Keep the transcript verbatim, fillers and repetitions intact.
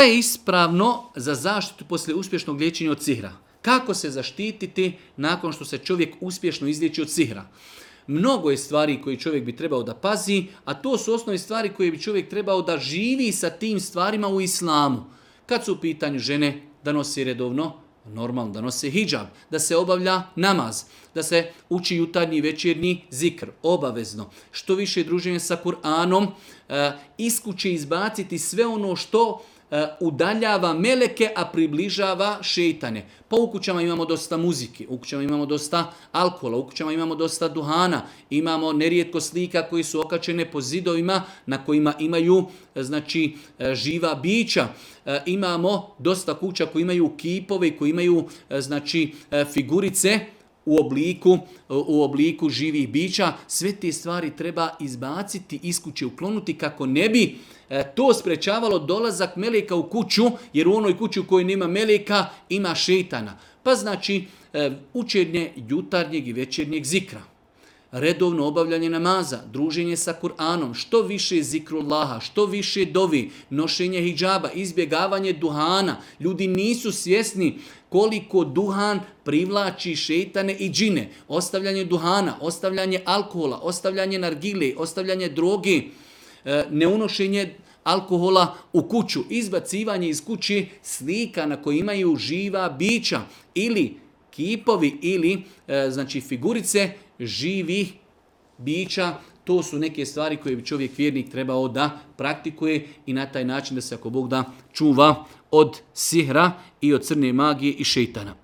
je ispravno za zaštitu poslije uspješnog liječenja od sihra? Kako se zaštititi nakon što se čovjek uspješno izliječi od sihra? Mnogo je stvari koje čovjek bi trebao da pazi, a to su osnovne stvari koje bi čovjek trebao da živi sa tim stvarima u islamu. Kad su u pitanju žene, da nosi redovno, normalno da nose hidžab, da se obavlja namaz, da se uči jutarnji i večernji zikr, obavezno. Što više druženje sa Kur'anom, iz kuće izbaciti sve ono što udaljava meleke, a približava šeitane. Pa u kućama imamo dosta muzike, u kućama imamo dosta alkohola, u kućama imamo dosta duhana, imamo nerijetko slika koji su okačene po zidovima na kojima imaju znači živa bića. Imamo dosta kuća koji imaju kipove, koji imaju znači figurice u obliku, u obliku živih bića. Sve te stvari treba izbaciti, iz kuće uklonuti kako ne bi to sprečavalo dolazak meleka u kuću, jer u onoj kući u kojoj nema meleka ima šeitana. Pa znači učenje jutarnjeg i večernjeg zikra, redovno obavljanje namaza, druženje sa Kur'anom, što više zikrullaha, što više dovi, nošenje hidžaba, izbjegavanje duhana. Ljudi nisu svjesni koliko duhan privlači šeitane i džine. Ostavljanje duhana, ostavljanje alkohola, ostavljanje nargile, ostavljanje droge, neunošenje alkohola u kuću, izbacivanje iz kuće slika na koje imaju živa bića ili kipovi ili znači figurice živih bića. To su neke stvari koje bi čovjek vjernik trebao da praktikuje i na taj način da se ako Bog da čuva od sihra i od crne magije i šeitana.